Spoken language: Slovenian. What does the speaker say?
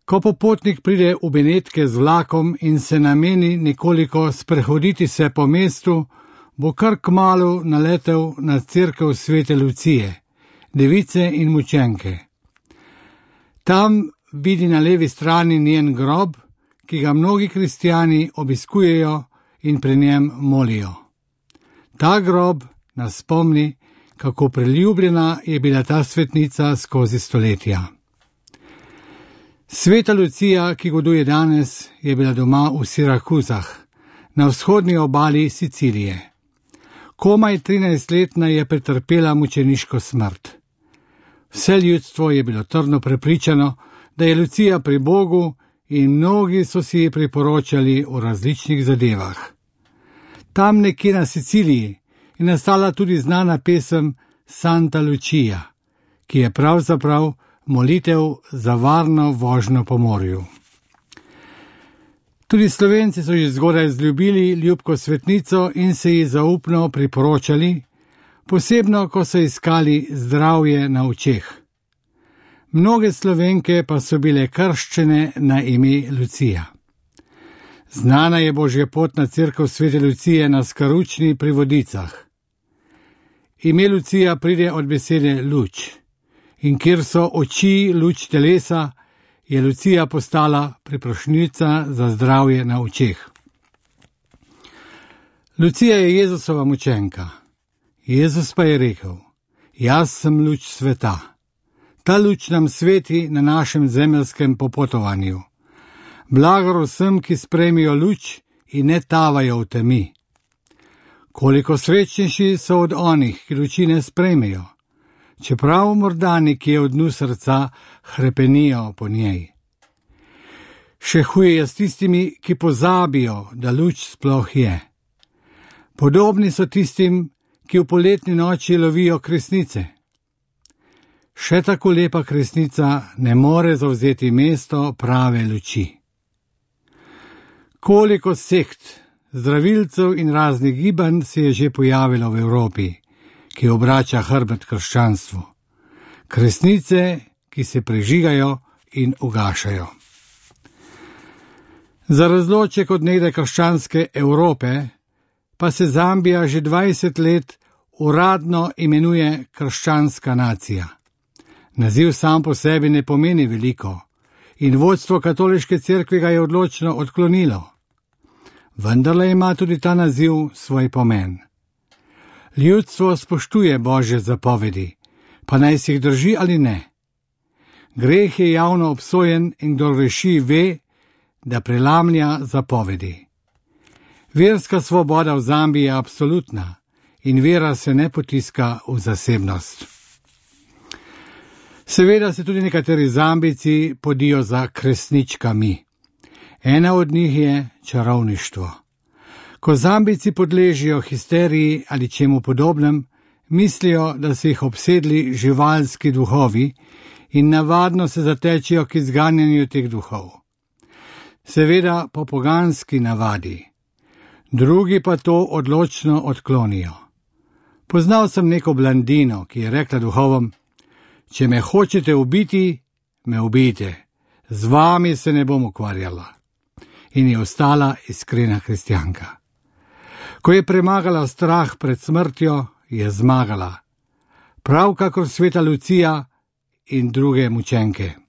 Ko popotnik pride v Benetke z vlakom in se nameni nekoliko sprehoditi se po mestu, bo kar kmalu naletel na cerkev Svete Lucije, device in mučenke. Tam vidi na levi strani njen grob, ki ga mnogi kristjani obiskujejo in pri njem molijo. Ta grob nas spomni, kako priljubljena je bila ta svetnica skozi stoletja. Sveta Lucija, ki goduje danes, je bila doma v Sirakuzah, na vzhodni obali Sicilije. Komaj 13-letna je pretrpela mučeniško smrt. Vse ljudstvo je bilo trdno prepričano, da je Lucija pri Bogu in mnogi so si ji priporočali v različnih zadevah. Tam nekje na Siciliji je nastala tudi znana pesem Santa Lucia, ki je pravzaprav molitev za varno vožnjo po morju. Tudi Slovenci so že zgodaj zljubili ljubko svetnico in se ji zaupno priporočali, posebno ko so iskali zdravje na očeh. Mnoge Slovenke pa so bile krščene na ime Lucija. Znana je božja pot na cerkev Svete Lucije na Skaručni pri Vodicah. Ime Lucija pride od besede luč, in kjer so oči luč telesa, je Lucija postala priprošnjica za zdravje na očeh. Lucija je Jezusova mučenka. Jezus pa je rekel: jaz sem luč sveta. Ta luč nam sveti na našem zemeljskem popotovanju. Blagor vsem, ki sprejmijo luč in ne tavajo v temi. Koliko srečnejši so od onih, ki luči ne sprejmejo, čeprav morda nekje v dnu srca hrepenijo po njej. Še huje je s tistimi, ki pozabijo, da luč sploh je. Podobni so tistim, ki v poletni noči lovijo kresnice. Še tako lepa kresnica ne more zavzeti mesto prave luči. Koliko sekt, zdravilcev in raznih gibanj se je že pojavilo v Evropi, ki obrača hrbet krščanstvu. Kresnice, ki se prežigajo in ugašajo. Za razloček od nekdaj krščanske Evrope pa se Zambija že 20 let uradno imenuje krščanska nacija. Naziv sam po sebi ne pomeni veliko in vodstvo katoliške cerkve ga je odločno odklonilo. Vendarle ima tudi ta naziv svoj pomen. Ljudstvo spoštuje Božje zapovedi, pa naj si jih drži ali ne. Greh je javno obsojen in kdor greši ve, da prelamlja zapovedi. Verska svoboda v Zambiji je absolutna in vera se ne potiska v zasebnost. Seveda se tudi nekateri Zambijci podijo za kresničkami. Ena od njih je čarovništvo. Ko Zambijci podležijo histeriji ali čemu podobnem, mislijo, da so jih obsedli živalski duhovi in navadno se zatečejo k izganjanju teh duhov. Seveda po poganski navadi. Drugi pa to odločno odklonijo. Poznal sem neko blandino, ki je rekla duhovom: če me hočete ubiti, me ubijte, z vami se ne bom ukvarjala. In je ostala iskrena kristjanka. Ko je premagala strah pred smrtjo, je zmagala. Prav kakor sveta Lucija in druge mučenke.